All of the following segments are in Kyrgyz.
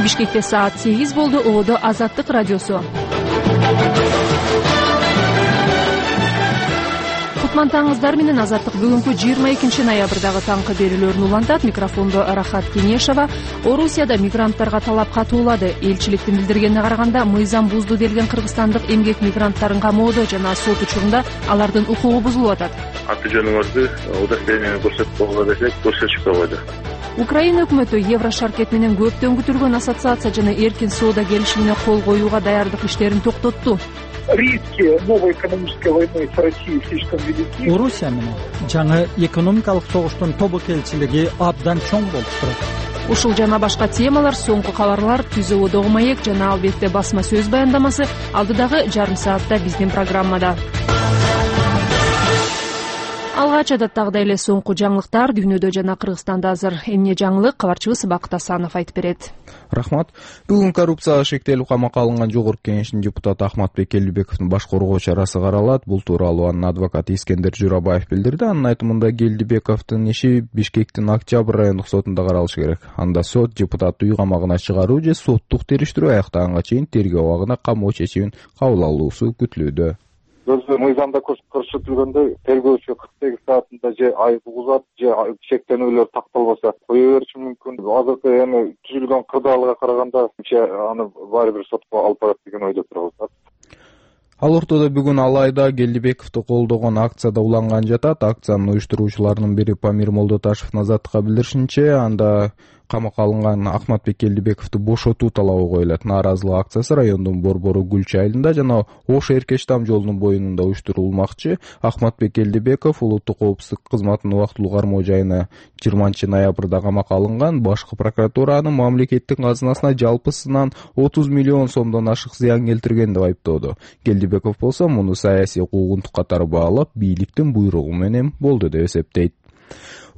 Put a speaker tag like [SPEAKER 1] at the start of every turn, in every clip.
[SPEAKER 1] Бишкекте саат 8 болду. Ободо Азаттык радиосу. Кутмантаңыздар менен Азаттык бүгүнкү 22 ноябрдагы таңкы берүүлөрүн улантат. Микрофондо Рахат Кенешова. Орусияда мигранттарга талап катуулады. Элчиликтин билдиргенине караганда, мыйзам бузду делген кыргызстандык эмгек мигранттарын камоодо жана сот учурунда алардын укугу бузулуп атат.
[SPEAKER 2] Аты жөнүңүздү удостоверениени көрсөтүп койгула десек, көрсөтүшүп койбойду.
[SPEAKER 1] Украина өкмөтү Еврошаркет менен көптөн күтүлгөн ассоциация жана эркин соода келишимине кол коюуга даярдык иштерин токтотту.
[SPEAKER 3] Риски новой экономической войны с Россией слишком велики.
[SPEAKER 4] Орусия менен жаңы экономикалык согуштун тобокелчилиги абдан чоң болуп турат.
[SPEAKER 1] Ушул жана башка темалар, соңку кабарлар, түз ободогу маек жана албетте басма сөз баяндамасы алдыдагы жарым саатта биздин программада. Алгач адаттагыдай эле соңку жаңылыктар дүйнөдө жана Кыргызстанда азыр. Эмне жаңылык, кабарчыбыз Бакыт Асанов айтып берет.
[SPEAKER 5] Рахмат. Бүгүн коррупцияга шектелип камакка алынган Жогорку Кеңештин депутаты Ахматбек Келдибековдун баш коргоо чарасы каралат. Бул тууралуу анын адвокаты Искендер Журабаев билдирди. Анын айтымында Келдибековдун иши Бишкектин Октябрь райондук сотунда каралышы керек. Анда сот депутатты үй камагына чыгаруу же соттук териштирүү аяктаганга чейин тергөө абагына камоо чечимин кабыл алуусу күтүлүүдө.
[SPEAKER 6] Өзү мыйзамда көрсөтүлгөндөй тергөөчү 48 саатында же айып угузат, же шектенүүлөр такталбаса кое бериши мүмкүн. Азыркы эми түзүлгөн кырдаалга караганда аны баары бир сотко алып барат деген ойдо турабыз.
[SPEAKER 5] Ал ортодо бүгүн Алайда Келдибековду колдогон акцияда уланган жатат. Акциянын уюштуруучуларынын бири Памир Молдоташевдин Азаттыкка билдиришинче, анда камакка алынган Ахматбек Келдибековду бошотуу талабы коюлат. Нааразылык акциясы райондун Борбору Гүлчү айылында жана Ош Эркештам жолунун боюнунда уюштурулмакчы. Ахматбек Келдибеков улуттук коопсуздук кызматынын убактылуу кармоо жайына 20 ноябрда камакка алынган. Башкы прокуратура аны мамлекеттин казынасына жалпысынан 30 миллион сомдон ашык зыян келтирген деп айыптоодо. Келдибеков болсо муну саясий куугунтук катары баалап, бийликтин буйругу менен болду деп эсептейт.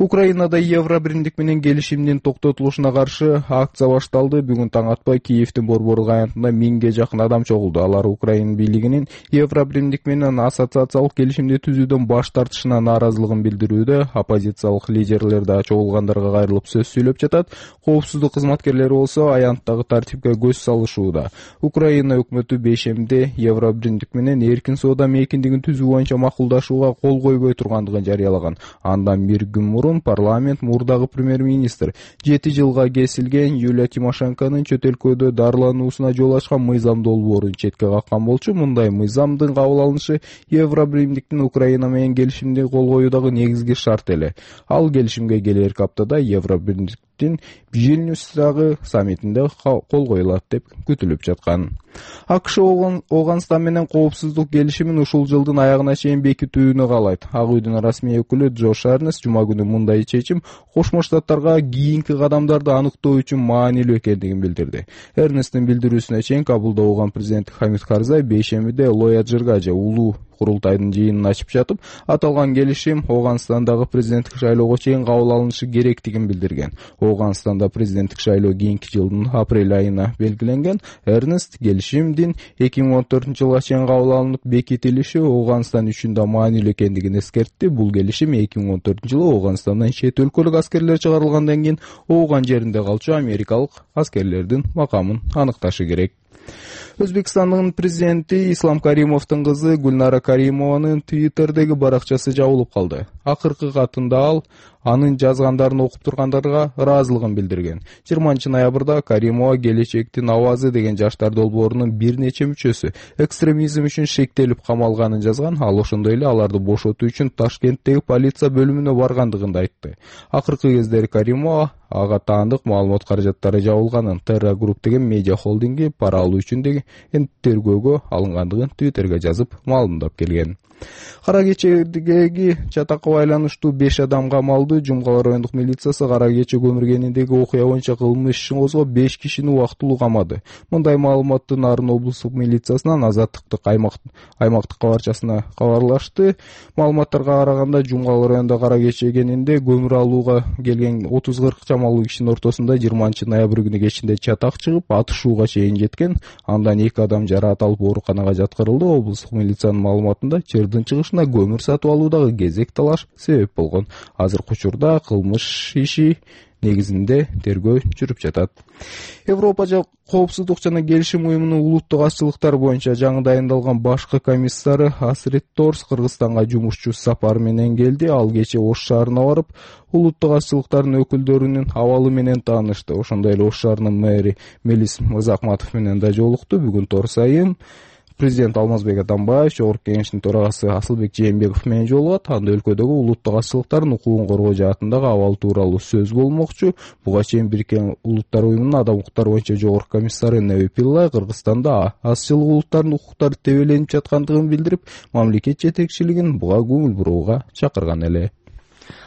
[SPEAKER 5] Украинада Евробиримдик менен келишимдин токтотулушуна каршы акция башталды. Бүгүн таң атпай Киевдин Борбору аянтында 1000ге жакын адам чогулду. Алар Украина бийлигинин Евробиримдик менен ассоциациялык келишимди түзүүдөн баш тартышына нааразылыгын билдирүүдө. Оппозициялык лидерлер да чогулгандарга кайрылып сөз сүйлөп жатат. Коопсуздук кызматкерлери болсо аянттагы тартипке көз салышууда. Украина өкмөтү бейшемде Евробиримдик менен эркин соода мейкиндигин түзүү боюнча макулдашууга кол койбой тургандыгын жарыялаган. Андан бир күн мурун парламент мурдагы премьер-министр 7 жылга кесилген Юлия Тимошенконун чөт өлкөдө дарылануусуна жол ачкан мыйзам долбоорун четке каккан болчу. Мындай мыйзамдын кабыл алынышы Евробиримдиктин Украина менен келишимди кол коюудагы негизги шарт эле. Ал келишимге келерки аптада Евробиримдиктин Вильнюстагы саммитинде кол коюлат деп күтүлүп жаткан. АКШ Оганстан менен коопсуздук келишимин ушул жылдын аягына чейин бекитүүнү каалайт. Ак үйдүн расмий өкүлү Джош Эрнест жума күнү мындай чечим Кошмо Штаттарга кийинки кадамдарды аныктоо үчүн маанилүү экендигин билдирди. Эрнесттин билдирүүсүнө чейин Кабулда болгон президент Хамид Карзай бейшембиде Лояджирга же улуу курултайдын жыйынын ачып жатып, аталган келишим Оганстандагы президенттик шайлоого чейин кабыл алынышы керектигин билдирген. Оганстанда президенттик шайлоо кийинки жылдын апрель айына белгиленген. Эрнест келишимдин 2014-жылга чейин кабыл алынып бекитилиши Оганстан үчүн да маанилүү экендигин эскертти. Бул келишим 2014-жылы Оганстандан чет өлкөлүк аскерлер чыгарылгандан кийин Ооган жеринде калчу америкалык аскерлердин макамын аныкташы керек. Өзбекстандын президенти Ислам Каримовдун кызы Гүлнара Каримованын Twitter'деги баракчасы жабылып калды. Акыркы катында ал анын жазгандарын окуп тургандарга ыраазылыгын билдирген. 20 ноябрда Каримова келечектин авазы деген жаштар долбоорунун бир нече мүчөсү экстремизм үчүн шектелип камалганын жазган. Ал ошондой эле аларды бошотуу үчүн Ташкенттеги полиция бөлүмүнө баргандыгын да айтты. Акыркы кездери Каримова ага таандык маалымат каражаттары жабылганын, Terra Group деген медиа холдинги пара алуу үчүн деген тергөөгө алынгандыгын Twitter'га жазып маалымдап келген. Кара кечедеги чатакка байланыштуу 5 адам камалды. Жумгала райондук милициясы Кара кече көмүргениндеги окуя боюнча кылмыш ишин козгоп 5 кишини убактылуу камады. Мындай маалыматты Нарын облустук милициясынан Азаттыктык аймактык кабарчасына кабарлашты. Маалыматтарга караганда Жумгала районунда Кара кечегенинде көмүр алууга келген 30-40 чамалуу кишинин ортосунда 20 ноябрь күнү кечинде чатак чыгып, атышууга чейин жеткен. Андан 2 адам жараат алып ооруканага жаткырылды. Облустук милициянын маалыматында Чырдын чыгышына көмүр сатып алуудагы кезек талаш себеп болгон. Азыркы учурда кылмыш иши негизинде тергөө жүрүп жатат. Европа коопсуздук жана келишим уюмунун улуттук азчылыктар боюнча жаңы дайындалган башкы комиссары Асрид Торс Кыргызстанга жумушчу сапары менен келди. Ал кечээ Ош шаарына барып, улуттук азчылыктардын өкүлдөрүнүн абалы менен таанышты. Ошондой эле Ош шаарынын мэри Мелис Мырзахматов менен да жолукту. Бүгүн Торс айым президент Алмазбек Атамбаев, Жогорку Кеңештин төрагасы Асылбек Жээнбеков менен жолугат. Анда өлкөдөгү улуттук азчылыктардын укугун коргоо жаатындагы абал тууралуу сөз болмокчу. Буга чейин Бириккен Улуттар уюмунун адам укуктары боюнча жогорку комиссары Неви Пиллай Кыргызстанда азчылык улуттардын укуктары тебеленип жаткандыгын билдирип, мамлекет жетекчилигин буга көңүл бурууга чакырган эле.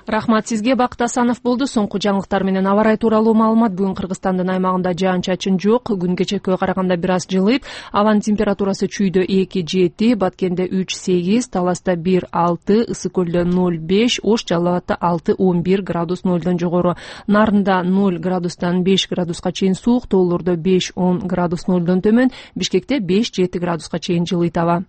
[SPEAKER 1] Рахмат сизге. Бакыт Асанов болду. Соңку жаңылыктар менен аба ырайы тууралуу маалымат. Бүгүн Кыргызстандын аймагында жаан-чачын жок. Күн кечекке караганда бир аз жылыйт. Абанын температурасы чүйдө 2-7, Баткенде 3-8, Таласта 1-6, Ысык көлдө 0-5, Ош Жалал Абадта 6-11 градус нолдон жогору. Нарында 0 градустан 5 градуска чейин суук, тоолордо 5-10 градус нолдон төмөн, Бишкекте 5-7 градуска чейин жылыйт аба.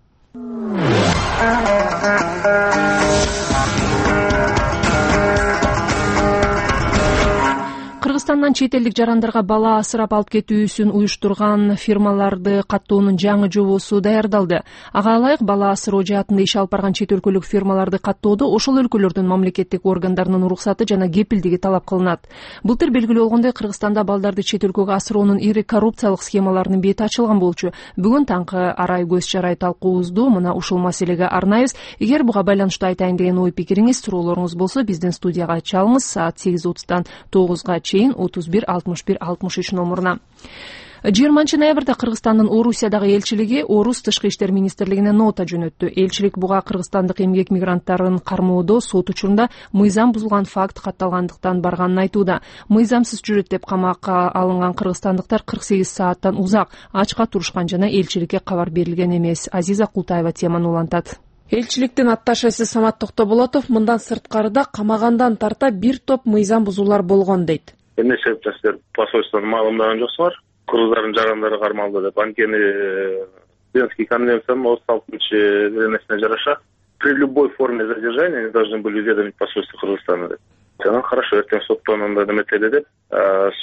[SPEAKER 1] Кыргызстандан чет элдик жарандарга бала асырап алып кетүүсүн уюштурган фирмаларды каттоонун жаңы жобосу даярдалды. Ага ылайык бала асыроо жаатында иш алып барган чет өлкөлүк фирмаларды каттоодо ошол өлкөлөрдүн мамлекеттик органдарынын уруксаты жана кепилдиги талап кылынат. Былтыр белгилүү болгондой, Кыргызстанда балдарды чет өлкөгө асыроонун ири коррупциялык схемаларынын бети ачылган болчу. Бүгүн таңкы арай көз чарай талкуубузду мына ушул маселеге арнайбыз. Эгер буга байланыштуу айтайын деген ой пикириңиз, суроолоруңуз болсо биздин студияга чалыңыз. Саат 8:30-дан 9-га чейин 31 61 63 номуруна. 20 ноябрда Кыргызстандын Орусиядагы элчилиги Орус тышкы иштер министрлигине нота жөнөттү. Элчилик буга кыргызстандык эмгек мигранттарын кармоодо сот учурунда мыйзам бузулган факт катталгандыктан барганын айтууда. Мыйзамсыз жүрөт деп камакка алынган кыргызстандыктар 48 сааттан узак ачка турушкан жана элчиликке кабар берилген эмес. Азиза Култаева теманы улантат. Элчиликтин атташеси Самат Токтоболотов мындан сырткарыда камагандан тарта бир топ мыйзам бузуулар болгон дейт.
[SPEAKER 2] Эмне себептен сиздер посольствону маалымдаган жоксуңар? Кыргыздардын жарандары кармалды деп. Анткени Венский конвенциянын 36-несине жараша при любой форме задержания они должны были уведомить посольство Кыргызстана деп. Жана хорошо, эртең соттон андай неметели деп,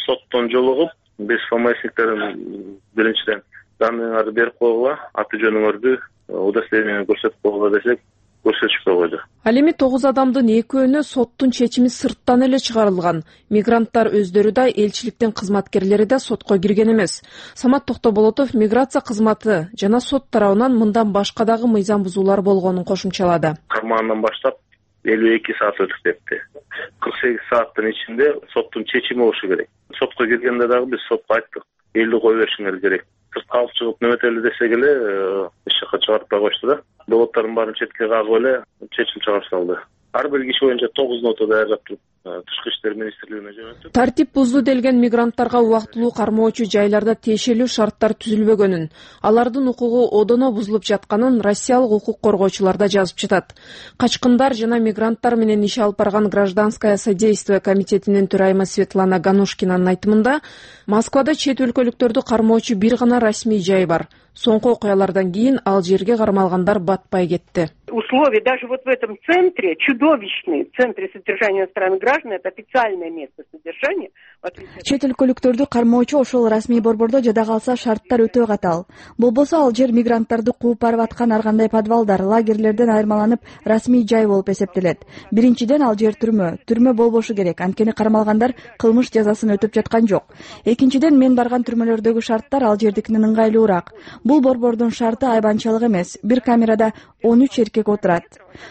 [SPEAKER 2] соттон жолугуп, без ФМСниктерин биринчиден данныйыңарды берип койгула, аты жөнүңөрдү, удостоверениени көрсөтүп койгула десек, көрсөтүшпөй койду. Ал
[SPEAKER 1] эми 9 адамдын экөөнө соттун чечими сырттан эле чыгарылган. Мигранттар өздөрү да, элчиликтин кызматкерлери да сотко кирген эмес. Самат Токтоболотов миграция кызматы жана сот тарабынан мындан башка дагы мыйзам бузуулар болгонун кошумчалады.
[SPEAKER 2] Кармагандан баштап 52 саат өтүп кетти. 48 сааттын ичинде соттун чечими болушу керек. Сотко киргенде дагы биз сотко айттык, элди кое беришиңер керек. Сыртка алып чыгып неметели десек эле эч жака чыгарып койчу да. Доводдордун баарын четке кагып эле чечим чыгарып салды. Ар бир киши боюнча 9 нота даярдап туруп тышкы иштер министрлигине жөнөттүк. Тартип бузду делген мигранттарга убактылуу кармоочу жайларда тиешелүү шарттар түзүлбөгөнүн, алардын укугу одоно бузулуп жатканын россиялык укук коргоочулар да жазып жатат. Качкындар жана мигранттар менен иш алып барган гражданское содействие комитетинин төрайымы Светлана Ганушкинанын айтымында, Москвада чет өлкөлүктөрдү кармоочу бир гана расмий жай бар. Соңку окуялардан кийин ал жерге кармалгандар батпай кетти.
[SPEAKER 7] Условия даже вот в этом центре чудовищные. В центре содержания иностранных граждан это официальное место содержания.
[SPEAKER 8] Чет өлкөлүктөрдү кармоочу ошол расмий борбордо жада калса шарттар өтө катаал. Болбосо ал жер мигранттарды кууп барып аткан ар кандай подвалдар, лагерлерден айырмаланып расмий жай болуп эсептелет. Биринчиден ал жер түрмө болбошу керек. Анткени кармалгандар кылмыш жазасын өтөп жаткан жок. Экинчиден мен барган түрмөлөрдөгү шарттар ал жердикинен ыңгайлуураак. Бул борбордун шарты айбанчалык эмес. Бир камерада 13 эркек отурат.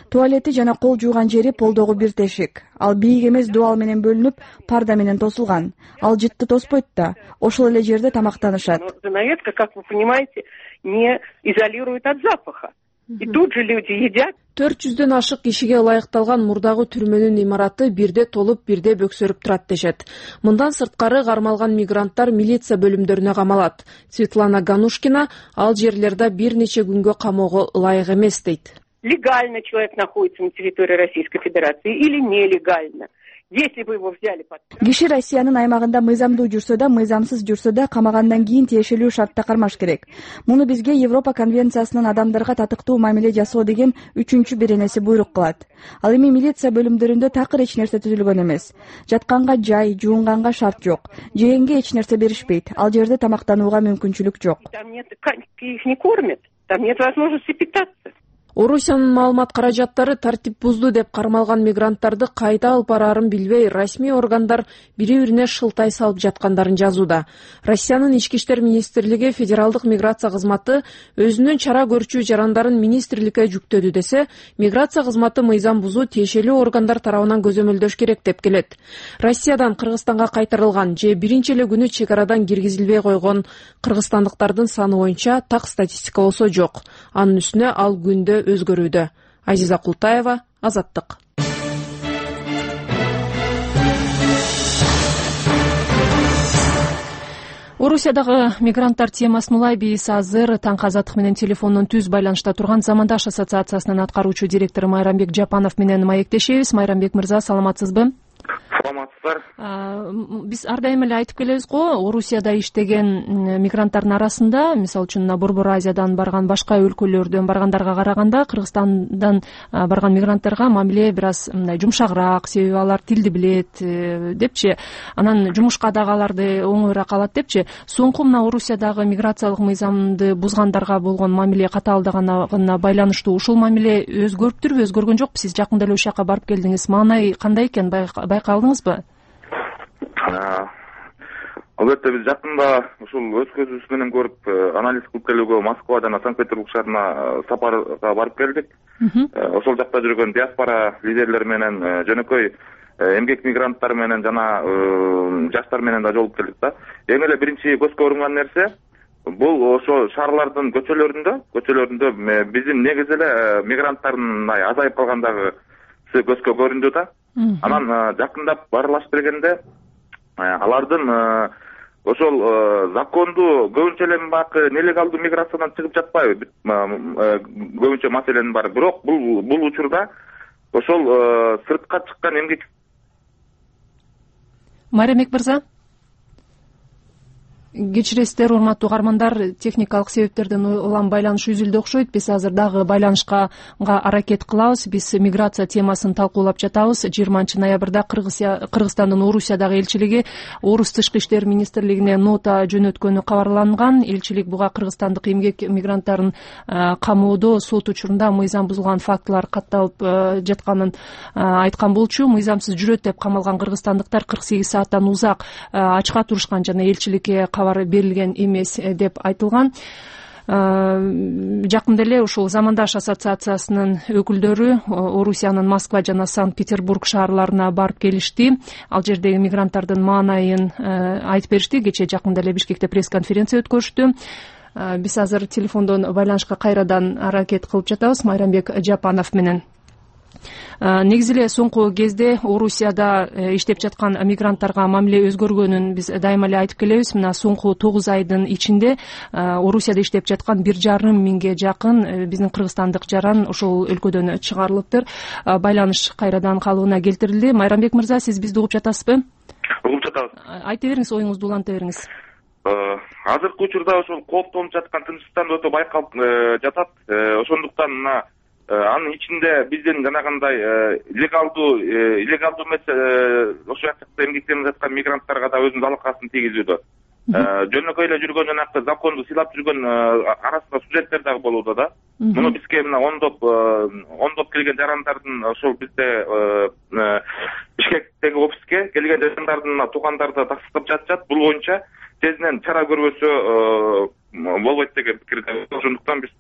[SPEAKER 8] Туалети жана кол жууган жери полдогу бир тешик. Ал бийик эмес дуал менен бөлүнүп, парда менен тосулган. Ал жытты тоспойт да. Ошол эле жерде тамактанышат.
[SPEAKER 7] Занавеска, как вы понимаете, не изолирует от запаха. И тут же люди едят.
[SPEAKER 1] 400дөн ашык кишиге ылайыкталган мурдагы түрмөнүн имараты бирде толуп, бирде бөксөрүп турат дешет. Мындан сырткары кармалган мигранттар милиция бөлүмдөрүнө камалат. Светлана Ганушкина ал жерлерде бир нече күнгө камоого ылайык эмес дейт.
[SPEAKER 7] Легально человек находится на территории Российской Федерации или нелегально. если бы его взяли под...
[SPEAKER 8] Киши Россиянын аймагында мыйзамдуу жүрсө да, мыйзамсыз жүрсө да камагандан кийин тиешелүү шартта кармаш керек. Муну бизге Европа конвенциясынын адамдарга татыктуу мамиле жасоо деген 3-чү беренеси буйрук кылат. Ал эми милиция бөлүмдөрүндө такыр эч нерсе түзүлгөн эмес. Жатканга жай, жуунганга шарт жок. Жегенге эч нерсе беришпейт. Ал жерде тамактанууга мүмкүнчүлүк жок.
[SPEAKER 7] Там нет, их не кормят, там нет возможности питаться.
[SPEAKER 1] Орусиянын маалымат каражаттары тартип бузду деп кармалган мигранттарды кайда алып бараарын билбей, расмий органдар бири-бирине шылтай салып жаткандарын жазууда. Россиянын ички иштер министрлиги федералдык миграция кызматы өзүнүн чара көрчү жарандарын министрликке жүктөдү десе, миграция кызматы мыйзам бузуу тиешелүү органдар тарабынан көзөмөлдөш керек деп келет. Россиядан Кыргызстанга кайтарылган же биринчи эле күнү чек арадан киргизилбей койгон кыргызстандыктардын саны боюнча так статистика болсо жок. Анын үстүнө ал күндө өзгөрүүдө. Азиза Култаева, Азаттык. Орусиядагы мигранттар темасын улай биз азыр таңкы Азаттык менен телефондон түз байланышта турган Замандаш ассоциациясынын аткаруучу директору Майрамбек Жапанов менен маектешебиз. Майрамбек мырза, саламатсызбы?
[SPEAKER 2] Саламатсыздар.
[SPEAKER 1] Биз ар дайым эле айтып келебиз го, Орусияда иштеген мигранттардын арасында, мисалы үчүн Борбор Азиядан барган, башка өлкөлөрдөн баргандарга караганда Кыргызстандан барган мигранттарга мамиле бир аз мындай жумшагыраак, себеби алар тилди билет депчи, анан жумушка дагы аларды оңоюраак алат депчи. Соңку мына Орусиядагы миграциялык мыйзамды бузгандарга болгон мамиле катаалдыгына байланыштуу ушул мамиле өзгөрүптүрбү, өзгөргөн жокпу? Сиз жакында эле ошол жака барып келдиңиз. Маанай кандай экен, байкадыңызбы?
[SPEAKER 2] Албетте биз жакында ушул өз көзүбүз менен көрүп анализ кылып келүүгө Москва жана Санкт-Петербург шаарына сапарга барып келдик. Ошол жакта жүргөн диаспора лидерлери менен, жөнөкөй эмгек мигранттар менен жана жаштар менен да жолугуп келдик да. Эң эле биринчи көзгө урунган нерсе бул ошо шаарлардын көчөлөрүндө биздин негизи эле мигранттардын азайып калгандыгы көзгө көрүндү да. Анан жакындап барылашып келгенде алардын ошол закондуу көбүнчө эле баягы нелегалдуу миграциядан чыгып жатпайбы, көбүнчө маселенин баары. Бирок бул учурда ошол сыртка чыккан эмгек.
[SPEAKER 1] Майрамбек мырза, кечиресиздер, урматтуу угармандар, техникалык себептерден улам байланыш үзүлдү окшойт. Биз азыр дагы байланышка аракет кылабыз. Биз миграция темасын талкуулап жатабыз. 20-ноябрда Кыргызстандын Орусиядагы элчилиги Орус тышкы иштер министрлигине нота жөнөткөнү кабарланган. Элчилик буга кыргызстандык эмгек мигранттарын камоодо сот учурунда мыйзам бузулган фактылар катталып жатканын айткан болчу. Мыйзамсыз жүрөт деп камалган кыргызстандыктар 48 сааттан узак ачка турушкан жана элчиликке кабар берилген эмес деп айтылган. Жакында эле ушул Замандаш ассоциациясынын өкүлдөрү Орусиянын Москва жана Санкт-Петербург шаарларына барып келишти. Ал жердеги мигранттардын маанайын айтып беришти. Кечээ жакында эле Бишкекте пресс-конференция өткөрүштү. Биз азыр телефондон байланышка кайрадан аракет кылып жатабыз Майрамбек Жапанов менен. Негизи эле соңку кезде Орусияда иштеп жаткан мигранттарга мамиле өзгөргөнүн биз дайыма эле айтып келебиз. Мына соңку 9 айдын ичинде Орусияда иштеп жаткан 1,5 миңге жакын биздин кыргызстандык жаран ошол өлкөдөн чыгарылыптыр. Байланыш кайрадан калыбына келтирилди. Майрамбек мырза, сиз бизди угуп жатасызбы?
[SPEAKER 2] Угуп жатабыз.
[SPEAKER 1] Айта бериңиз, оюңузду уланта бериңиз.
[SPEAKER 2] Азыркы учурда ошол кооптонуп жаткан Тынчтан өтө байкалып жатат. Ошондуктан мына анын ичинде биздин жанагындай илlegaldуу эмес ошол жакта эмгектенип жаткан мигранттарга да өзүнүн алакасын тийгизүүдө. Жөнөкөй эле жүргөн жанагы законду сыйлап жүргөн арасында студенттер дагы болууда да. Муну бизге мына ондоп келген жарандардын ошол бизде Бишкектеги офиске келген жарандардын туугандары да тастап жатышат. Бул боюнча тезинен чара көрбөсө болбойт деген пикирде. Ошондуктан биз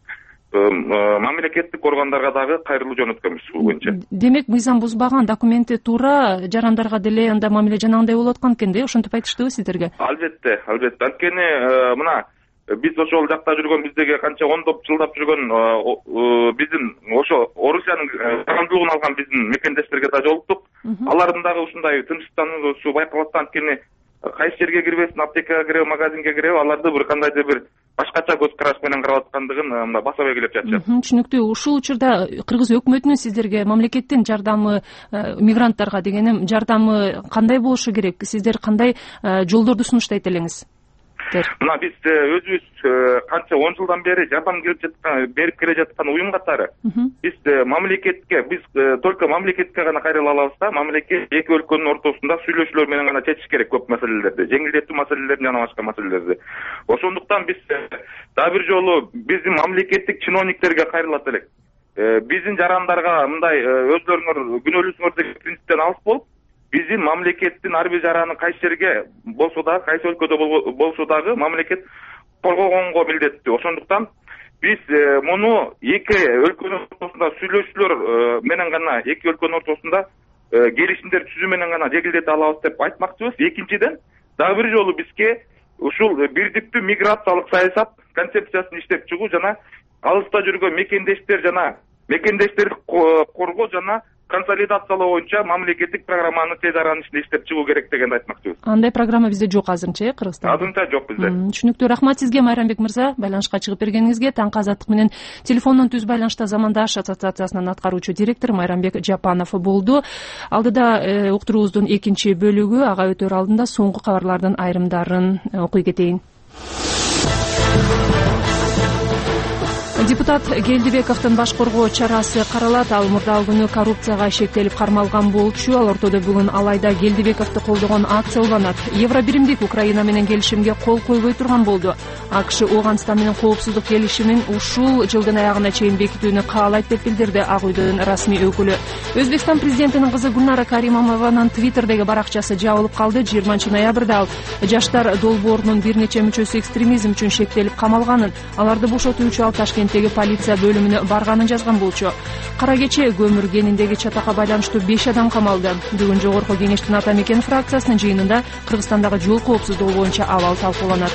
[SPEAKER 2] мамлекеттик органдарга дагы кайрылуу жөнөткөнбүз бул боюнча.
[SPEAKER 1] Демек, мыйзам бузбаган, документи туура жарандарга деле анда мамиле жанагындай болуп аткан экен да, ошентип айтыштыбы сиздерге? Албетте.
[SPEAKER 2] Анткени мына биз ошол жакта жүргөн, биздеги канча ондоп жылдап жүргөн биздин ошо Орусиянын жарандуулугун алган биздин мекендештерге да жолуктук. Алардын дагы ушундай тынчтануусу байкалат. Анткени кайсы жерге кирбесин, аптекага киреби, магазинге киреби, аларды бир кандайдыр бир
[SPEAKER 6] башкача көз караш менен карап аткандыгын мына баса белгилеп жатышат.
[SPEAKER 1] Түшүнүктүү. Ушул учурда кыргыз өкмөтүнүн сиздерге, мамлекеттин жардамы, мигранттарга дегеним жардамы кандай болушу керек? Сиздер кандай жолдорду сунуштайт элеңиз?
[SPEAKER 6] Мына биз өзүбүз канча 10 жылдан бери жардам берип келе жаткан уюм катары биз мамлекетке, биз только мамлекетке гана кайрыла алабыз да, мамлекет эки өлкөнүн ортосунда сүйлөшүүлөр менен гана чечиш керек көп маселелерди, жеңилдетүү маселелерин жана башка маселелерди. Ошондуктан биз дагы бир жолу биздин мамлекеттик чиновниктерге кайрылат элек. Биздин жарандарга мындай өзлөрүңөр күнөөлөсүңөр деген принциптен алыс болуп, биздин мамлекеттин ар бир жараны кайсы жерге болсо дагы, кайсы өлкөдө болсо дагы мамлекет коргогонго милдеттүү. Ошондуктан биз муну эки өлкөнүн ортосунда сүйлөшүүлөр менен гана, эки өлкөнүн ортосунда келишимдер түзүү менен гана жеңилдете алабыз деп айтмакчыбыз. Экинчиден, дагы бир жолу бизге ушул бирдиктүү миграциялык саясат концепциясын иштеп чыгуу жана алыста жүргөн мекендештерди коргоо жана консолидациялоо боюнча мамлекеттик программаны тез аранын ичинде иштеп чыгуу керек дегенди айтмакчыбыз.
[SPEAKER 1] Андай программа бизде жок азырынча, Кыргызстанда?
[SPEAKER 6] Азырынча жок бизде.
[SPEAKER 1] Түшүнүктүү. Рахмат сизге, Майрамбек мырза, байланышка чыгып бергениңизге. Таңкы Азаттык менен телефондон түз байланышта Замандаш ассоциациясынын аткаруучу директору Майрамбек Жапанов болду. Алдыда уктуруубуздун экинчи бөлүгү, ага өтөр алдында соңку кабарлардын айрымдарын окуй кетейин. Депутат Келдибековдун баш коргоо чарасы каралат. Ал мурдагы күнү коррупцияга шектелип кармалган болчу. Ал ортодо бүгүн Алайда Келдибековду колдогон акция уланат. Евробиримдик Украина менен келишимге кол койбой турган болду. АКШ Ооганстан менен коопсуздук келишимин ушул жылдын аягына чейин бекитүүнү каалайт деп билдирди Ак үйдүн расмий өкүлү. Өзбекстан президентинин кызы Гүлнара Каримованын Твиттердеги баракчасы жабылып калды. 20-ноябрда ал жаштар долбоорунун бир нече мүчөсү экстремизм үчүн шектелип камалганын, аларды бошотуу үчүн ал Ташкенттеги полиция бөлүмүнө барганын жазган болчу. Кара кече көмүр кениндеги чатакка байланыштуу 5 адам камалды. Бүгүн Жогорку Кеңештин Ата Мекен фракциясынын жыйынында Кыргызстандагы жол коопсуздугу боюнча абал талкууланат.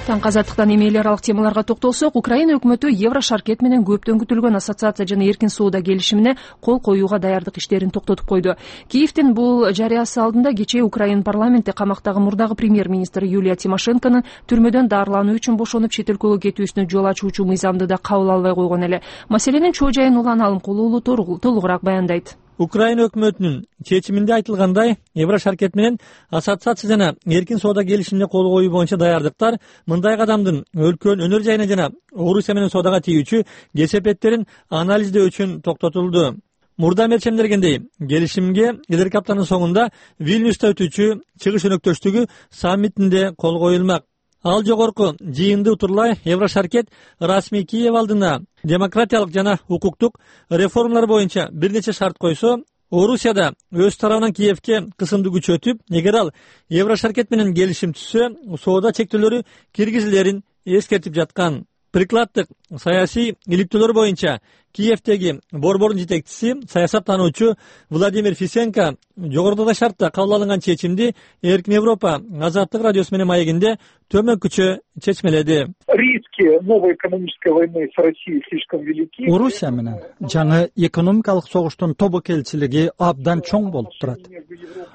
[SPEAKER 1] Таңкы Азаттыктан эми аралык темаларга токтолсок, Украина өкмөтү Еврошаркет менен көптөн күтүлгөн ассоциация жана эркин соода келишимине кол коюуга даярдык иштерин токтотуп койду. Киевдин бул жарыясы алдында кечээ Украина парламенти камактагы мурдагы премьер-министр Юлия Тимошенконун түрмөдөн дарылануу үчүн бошонуп чет өлкөгө кетүүсүнө жол ачуучу мыйзамды да кабыл албай койгон эле. Маселенин чоо жайын Улан Алымкулуу толугураак баяндайт.
[SPEAKER 4] Украина өкмөтүнүн чечиминде айтылгандай, Еврошаркет менен ассоциация жана эркин соода келишимине кол коюу боюнча даярдыктар мындай кадамдын өлкөнүн өнөр жайына жана Орусия менен соодага тийүүчү кесепеттерин анализдөө үчүн токтотулду. Мурда мерчемдергендей, келишимге элерки аптанын соңунда Вильнюста өтүүчү чыгыш өнөктөштүгү саммитинде кол коюлмак. Ал жогорку жыйынды утурлай Еврошаркет расмий Киев алдына демократиялык жана укуктук реформалар боюнча бир нече шарт койсо, Орусияда өз тарабынан Киевке кысымды күчөтүп, эгер ал Еврошаркет менен келишим түзсө, соода чектөөлөрү киргизилерин эскертип жаткан. Прикладдык саясий иликтөөлөр боюнча Киевдеги борбордун жетекчиси, саясаттануучу Владимир Фисенко жогорудагы шартта кабыл алынган чечимди Эркин Европа азаттык радиосу менен маегинде төмөнкүчө чечмеледи.
[SPEAKER 3] Риски новой экономической войны с Россией слишком велики.
[SPEAKER 4] Орусия менен жаңы экономикалык согуштун тобокелчилиги абдан чоң болуп турат.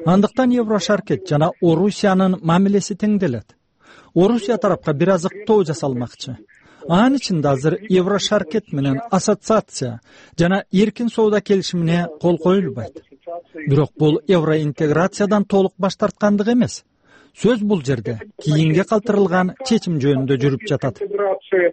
[SPEAKER 4] Андыктан Еврошаркет жана Орусиянын мамилеси теңделет. Орусия тарапка бир азыктоо жасалмакчы. Анын ичинде азыр Еврошаркет менен ассоциация жана эркин соода келишимине кол коюлбайт. Бирок бул евроинтеграциядан толук баш тарткандык эмес. Сөз бул жерде кийинге калтырылган чечим жөнүндө жүрүп жатат.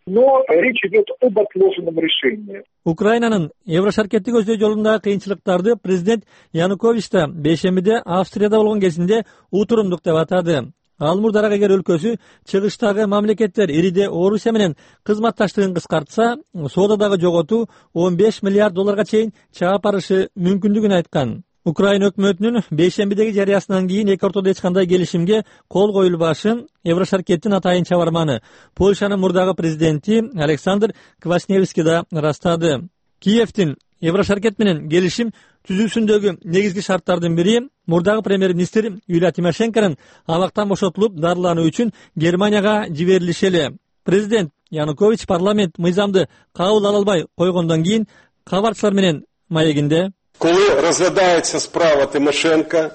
[SPEAKER 3] Но речь идет об отложенном решении.
[SPEAKER 4] Украинанын Еврошаркетти көздөй жолундагы кыйынчылыктарды президент Янукович да бейшембиде Австрияда болгон кезинде утурумдук деп атады. Ал мурдараак эгер өлкөсү чыгыштагы мамлекеттер ириде Орусия менен кызматташтыгын кыскартса, соодадагы жоготуу 15 миллиард долларга чейин чаап барышы мүмкүндүгүн айткан. Украина өкмөтүнүн бейшембидеги жарыясынан кийин эки ортодо эч кандай келишимге кол коюлбашын Еврошаркеттин атайын чабарманы Польшанын мурдагы президенти Александр Квасневский да ырастады. Киевдин Еврошаркет менен келишим түзүүсүндөгү негизги шарттардын бири мурдагы премьер-министр Юлия Тимошенконун абактан бошотулуп дарылануу үчүн Германияга жиберилиши эле. Президент Янукович парламент мыйзамды кабыл ала албай койгондон кийин кабарчылар менен маегинде:
[SPEAKER 9] Коли розглядається справа Тимошенко,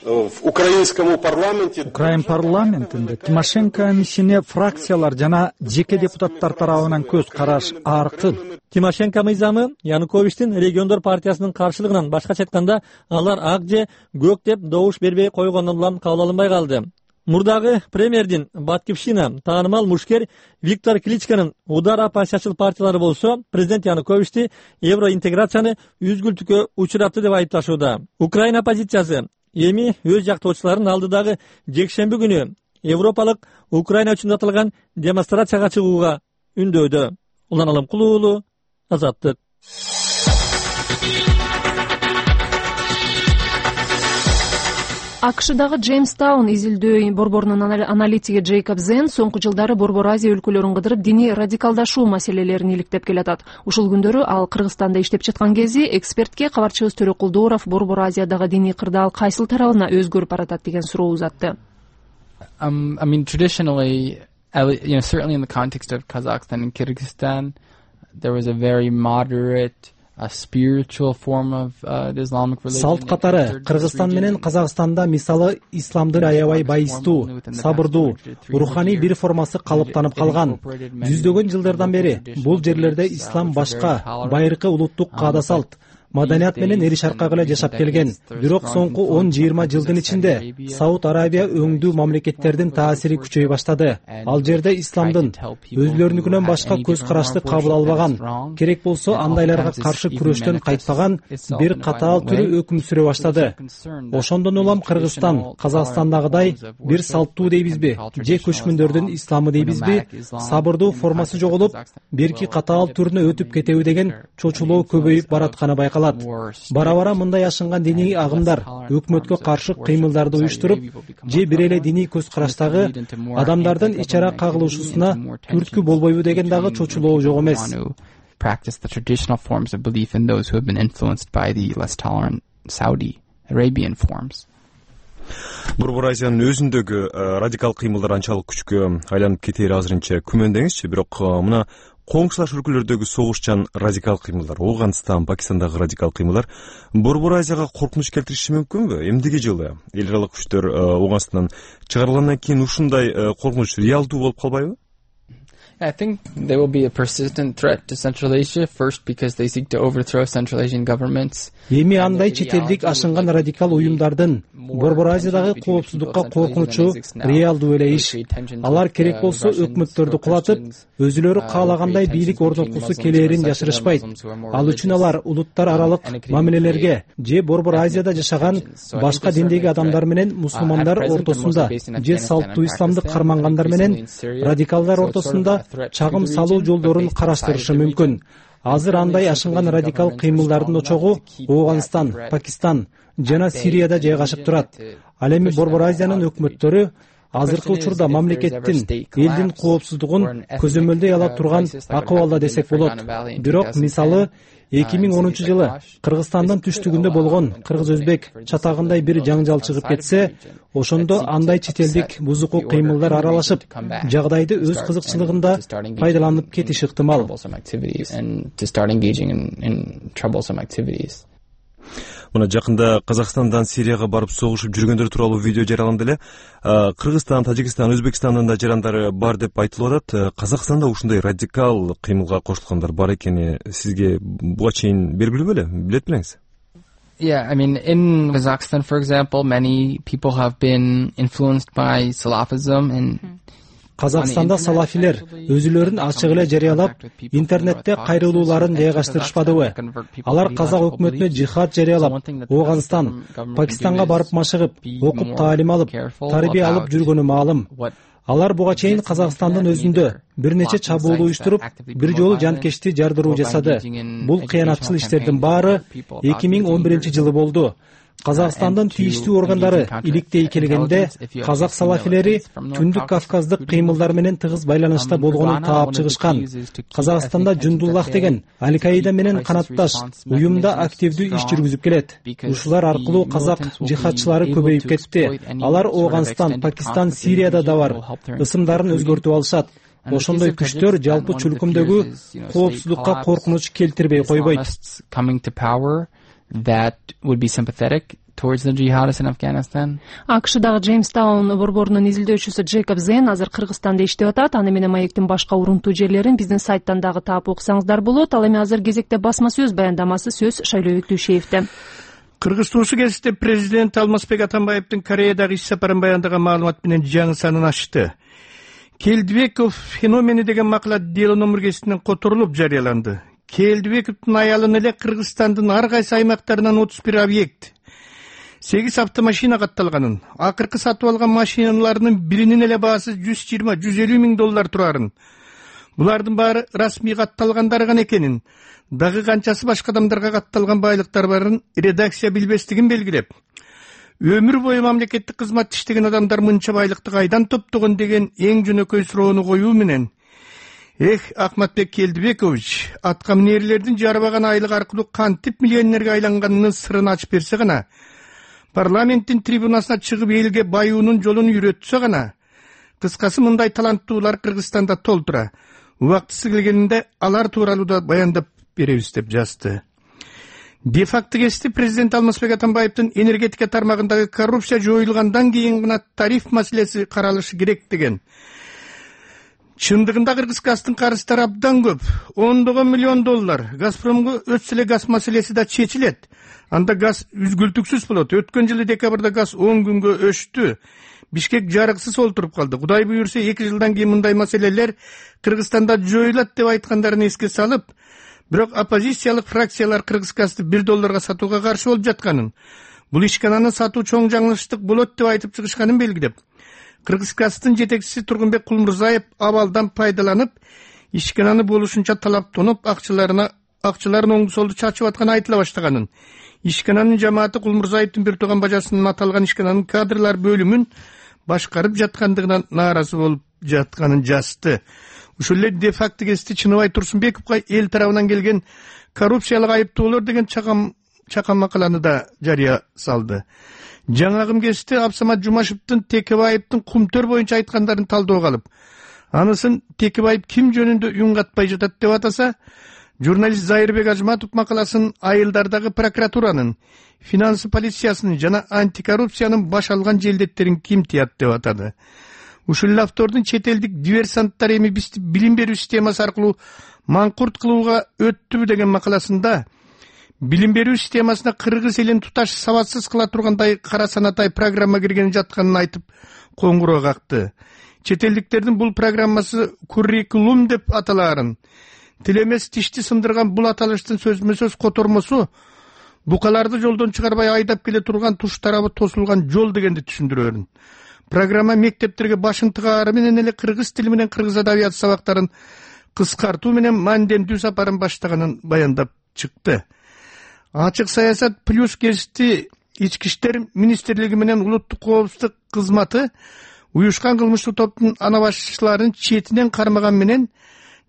[SPEAKER 9] в украинском парламенте.
[SPEAKER 10] Украин парламентинде Тимошенконун ишине фракциялар жана жеке депутаттар тарабынан көз караш аркын.
[SPEAKER 4] Тимошенко мыйзамы Януковичтин региондор партиясынын каршылыгынан, башкача айтканда, алар ак же көк деп добуш бербей койгондон улам кабыл алынбай калды. Мурдагы премьердин баткивщина таанымал мушкер Виктор Кличконун удар оппозициячыл партиялары болсо, президент Януковичти евроинтеграцияны үзгүлтүккө учуратты деп айыпташууда. Украина оппозициясы эми өз жактоочуларын алдыдагы жекшемби күнү Европалык Украина үчүн атылган демонстрацияга чыгууга үндөдө. Улан Алымкулуу уулу, Азаттык.
[SPEAKER 1] АКШдагы Джеймстаун изилдөө борборунун аналитиги Джейкоб Зен соңку жылдары Борбор Азия өлкөлөрүн кыдырып диний радикалдашуу маселелерин иликтеп келатат. Ушул күндөрү ал Кыргызстанда иштеп жаткан кези экспертке кабарчыбыз Төрөкулдууров Борбор Азиядагы диний кырдаал кайсыл тарабына өзгөрүп баратат деген суроо узатты.
[SPEAKER 11] I mean, traditionally, certainly in the context of Kazakhstan and Kyrgyzstan, there was a very moderate, a spiritual form of the Islamic religion.
[SPEAKER 10] Салт катары Кыргызстан менен Казакстанда мисалы исламдын аябай байыстуу, сабырдуу, руханий бир формасы калыптанып калган. Жүздөгөн жылдардан бери бул жерлерде ислам башка, байыркы улуттук каада салт, маданият менен эри шаркак эле жашап келген. Бирок соңку 10-20 жылдын ичинде Сауд Арабия өңдүү мамлекеттердин таасири күчөй баштады. Ал жерде исламдын өзлөрүнүкүнөн башка көз карашты кабыл албаган, керек болсо андайларга каршы күрөштөн кайтпаган бир катаал түрү өкүм сүрө баштады. Ошондон улам Кыргызстан Казакстандагыдай бир салттуу дейбизби, же көчмөндөрдүн исламы дейбизби, сабырдуу формасы жоголуп, бирки катаал түрүнө өтүп кетеби деген чочулоо көбөйүп баратканы байкалат. Бара-бара мындай ашынган диний агымдар өкмөткө каршы кыймылдарды уюштуруп, же бир эле диний көз караштагы адамдардын ич ара кагылышуусуна түрткү болбойбу деген дагы чочулоо жок эмес.
[SPEAKER 11] Practice the traditional forms of belief in those who have been influenced by the less tolerant Saudi Arabian forms.
[SPEAKER 12] Борбор Азиянын өзүндөгү радикал кыймылдар анчалык күчкө айланып кетери азырынча күмөндеңизчи, бирок мына коңшулаш өлкөлөрдөгү согушчан радикал кыймылдар, Ооганстан, Пакистандагы радикал кыймылдар Борбор Азияга коркунуч келтириши мүмкүнбү? Эмдиги жылы эл аралык күчтөр Ооганстандан чыгарылгандан кийин ушундай коркунуч реалдуу болуп калбайбы?
[SPEAKER 11] I think there will be a persistent threat to Central Asia, first because they seek to overthrow Central Asian governments.
[SPEAKER 10] Эми андай четелдик ашынган радикал уюмдардын Борбор Азиядагы коопсуздукка коркунучу реалдуу эле иш. Алар керек болсо өкмөттөрдү кулатып, өзүлөрү каалагандай бийлик орноткусу келээрин жашырышпайт. Ал үчүн алар улуттар аралык мамилелерге же Борбор Азияда жашаган башка диндеги адамдар менен мусулмандар ортосунда же салттуу исламды кармангандар менен радикалдар ортосунда чагым салуу жолдорун караштырышы мүмкүн. Азыр андай ашынган радикал кыймылдардын очогу Ооганстан, Пакистан жана Сирияда жайгашып турат. Ал эми Борбор Азиянын өкмөттөрү азыркы учурда мамлекеттин, элдин коопсуздугун көзөмөлдөй ала турган акыбалда десек болот. Бирок мисалы 2010-жылы Кыргызстандын түштүгүндө болгон кыргыз-өзбек чатагындай бир жаңжал чыгып кетсе, ошондо андай четелдик бузуку кыймылдар аралашып, жагдайды өз кызыкчылыгында пайдаланып кетиши ыктымал.
[SPEAKER 12] Мына жакында Казакстандан Сирияга барып согушуп жүргөндөр тууралуу видео жарыяланды эле. Кыргызстан, Тажикстан, Өзбекстандын да жарандары бар деп айтылып атат. Казакстанда ушундай радикал кыймылга кошулгандар бар экени сизге буга чейин белгилүү беле? Билет белеңиз?
[SPEAKER 11] Yeah, I mean, in Kazakhstan, for example, many people have been influenced by Salafism and
[SPEAKER 10] Казакстанда салафилер өзүлөрүн ачык эле жарыялап, интернетте кайрылууларын жайгаштырышпадыбы? Алар казак өкмөтүнө жихад жарыялап, Ооганстан, Пакистанга барып машыгып, окуп таалим алып, тарбия алып жүргөнү маалым. Алар буга чейин Казакстандын өзүндө бир нече чабуул уюштуруп, бир жолу жанкечти жардыруу жасады. Бул кыянатчыл иштердин баары 2011-жылы болду. Казакстандын тийиштүү органдары иликтей келгенде казак салафилери Түндүк Кавказдык кыймылдар менен тыгыз байланышта болгонун таап чыгышкан. Казакстанда Жундуллах деген Аль-Каида менен канатташ уюмда активдүү иш жүргүзүп келет. Ушулар аркылуу казак жихадчылары көбөйүп кетти. Алар Ооганстан, Пакистан, Сирияда да бар. Ысымдарын өзгөртүп алышат. Ошондой күчтөр жалпы чүлкүмдөгү коопсуздукка коркунуч келтирбей койбойт.
[SPEAKER 11] That would be sympathetic towards the jihadists in Afghanistan.
[SPEAKER 1] АКШдагы Джеймстаун борборунун изилдөөчүсү Джейкоб Зен азыр Кыргызстанда иштеп атат. Аны менен маектин башка урунтуу жерлерин биздин сайттан дагы таап окусаңыздар болот. Ал эми азыр кезекте басма сөз баяндамасы сөз Шайлоо Түшеевде.
[SPEAKER 13] Кыргыз туусу кезинде президент Алмазбек Атамбаевдин Кореядагы иш сапарын баяндаган маалымат менен жаңы санын ачты. Келдибеков феномени деген макала дело номер кесинен которулуп жарыяланды. Келдибековдун аялын эле Кыргызстандын ар кайсы аймактарынан 31 объект, 8 автомашина катталганын, акыркы сатып алган машиналарынын биринин эле баасы $120–150 миң турарын, булардын баары расмий катталгандары гана экенин, дагы канчасы башка адамдарга катталган байлыктар барын редакция билбестигин белгилеп, өмүр бою мамлекеттик кызматта иштеген адамдар мынча байлыкты кайдан топтогон деген эң жөнөкөй суроону коюу менен, Ахматбек Келдибекович, аткаминерлердин жарбаган айлык аркылуу кантип миллионерге айланганынын сырын ачып берсе гана, парламенттин трибунасына чыгып элге баюунун жолун үйрөтсө гана, кыскасы мындай таланттуулар Кыргызстанда толтура. Убактысы келгенинде алар тууралуу да баяндап беребиз деп жазды. Де-факто кести президент Алмазбек Атамбаевдин энергетика тармагындагы коррупция жоюлгандан кийин гана тариф маселеси каралышы керек деген. Чындыгында Кыргызстандын карыздары абдан көп. $10 миллион. Газпромго өтсө эле газ маселеси да чечилет. Анда газ үзгүлтүксүз болот. Өткөн жылы декабрда газ 10 күнгө өчтү. Бишкек жарыксыз олтуруп калды. Кудай буйрса 2 жылдан кийин мындай маселелер Кыргызстанда жоюлат деп айткандарын эске салып, бирок оппозициялык фракциялар Кыргызгазды $1 сатууга каршы болуп жатканын, бул ишкананы сатуу чоң жаңылыштык болот деп айтып чыгышканын белгилеп, Кыргызгаздын жетекчиси Тургунбек Кулмурзаев абалдан пайдаланып, ишкананы болушунча талаптанып, акчаларын оңду солду чачып атканы айтыла баштаганын, ишкананын жамааты Кулмурзаевдин бир тууган бажасынын аталган ишкананын кадрлар бөлүмүн башкарып жаткандыгынан нааразы болуп жатканын жазды. Ушул эле де-факто кести Чыныбай Турсунбековго эл тарабынан келген коррупциялык айыптоолор деген чакан макаланы да жарыя салды. Жаңагым кести Абсамат Жумашевдин Текебаевдин Кумтөр боюнча айткандарын талдоого алып, анысын Текебаев ким жөнүндө үн катпай жатат деп атаса, журналист Зайырбек Ажматов макаласын айылдардагы прокуратуранын, финансы полициясынын жана антикоррупциянын баш алган желдеттерин ким тият деп атады. Ушул автордун чет элдик диверсанттар эми бизди билим берүү системасы аркылуу маңкурт кылууга өттүбү деген макаласында билим берүү системасына Кыргыз элин туташ сабатсыз кыла тургандай кара санатай программа кирген жатканын айтып коңгуроо какты. Чет элдиктердин бул программасы куррикулум деп аталаарын, тилемес тишти сындырган бул аталыштын сөзмө-сөз котормосу букаларды жолдон чыгарбай айдап келе турган туш тарабы тосулган жол дегенди түшүндүрөөрүн. Программа мектептерге башын тыгаары менен эле кыргыз тили менен кыргыз адабият сабактарын кыскартуу менен мандендүү сапарын баштаганын баяндап чыкты. Ачык саясат плюс гезити ички иштер министрлиги менен улуттук коопсуздук кызматы уюшкан кылмыштуу топтун ана башчыларын четинен кармаган менен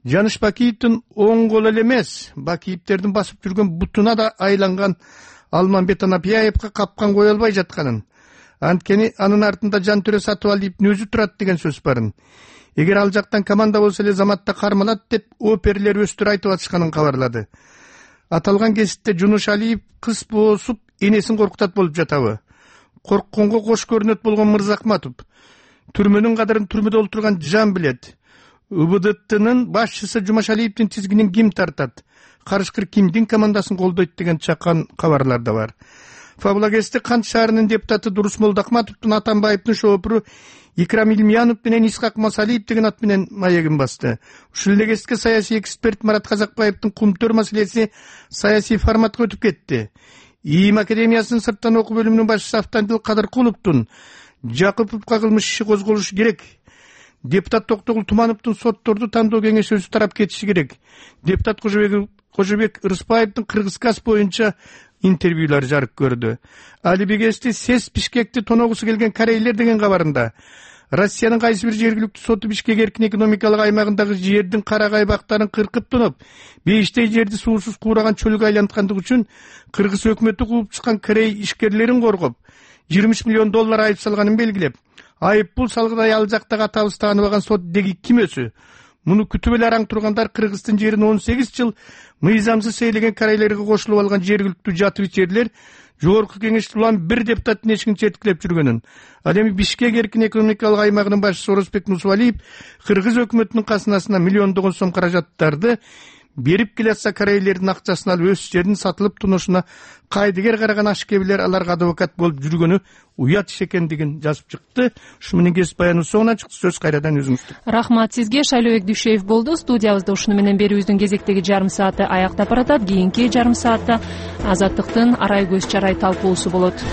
[SPEAKER 13] Жаныш Бакиевдин оң кол эле эмес, Бакиевдердин басып жүргөн бутуна да айланган Алмамбет Анапияевге капкан кое албай жатканын, анткени анын артында Жантөре Сатыбалиевдин өзү турат деген сөз барын. Эгер ал жактан команда болсо эле заматта кармалат деп оперлер өстүр айтып атышканын кабарлады. Аталган кезитте Жунуш Алиев кыз боосуп энесин коркутат болуп жатабы? Коркконго кош көрүнөт болгон Мырзахматов түрмөнүн кадырын түрмөдө олтурган жан билет. УБДТнын башчысы Жумашалиевдин тизгинин ким тартат? Карышкыр кимдин командасын колдойт деген чакан кабарлар да бар. Фабулагесте Кант шаарынын депутаты Дурус Молдахматовдун Атамбаевдин шоопуру Икрам Илмиянов менен Исхак Масалиев деген ат менен маегин басты. Ушул эле кезекте саясий эксперт Марат Казакбаевдин Кумтөр маселеси саясий форматка өтүп кетти. ИИМ академиясынын сырттан окуу бөлүмүнүн башчысы Автандил Кадыркуловдун Жакыповго кылмыш иши козголушу керек. Депутат Токтогул Тумановдун сотторду тандоо кеңеши өзү тарап кетиши керек. Депутат Кожобек Рыспаевдин Кыргызгаз боюнча интервьюлар жарык көрдү. Алибегести СЭС Бишкекти тоногусу келген корейлер деген кабарында Россиянын кайсы бир жергиликтүү соту Бишкек эркин экономикалык аймагындагы жердин карагай бактарын кыркып тоноп, бейиштей жерди суусуз куураган чөлгө айланткандыгы үчүн Кыргыз өкмөтү кууп чыккан корей ишкерлерин коргоп, $20 миллион айып салганын белгилеп, айып бул салгыдай ал жактагы атабыз тааныбаган сот деги ким өзү? муну күтүп эле араң тургандар Кыргыздын жерин 18 жыл мыйзамсыз ээлеген корейлерге кошулуп алган жергиликтүү жатырчерлер жогорку кеңеште улам бир депутаттын эшигин четкилеп жүргөнүн, ал эми Бишкек эркин экономикалык аймагынын башчысы Орозбек Мусубалиев кыргыз өкмөтүнүн казынасына миллиондогон сом каражаттарды берип келатса, корейлердин акчасын алып өз жерин сатылып тунушуна кайдыгер караган ашкебилер аларга адвокат болуп жүргөнү уят иш экендигин жазып чыкты. Ушу менен кесип баяныбыз соңуна чыкты. Сөз кайрадан өзүңүздү.
[SPEAKER 1] Рахмат сизге. Шайлообек Дүйшеев болду студиябызда. Ушуну менен берүүбүздүн кезектеги жарым сааты аяктап баратат. Кийинки жарым саатта Азаттыктын арай көз чарай талкуусу болот.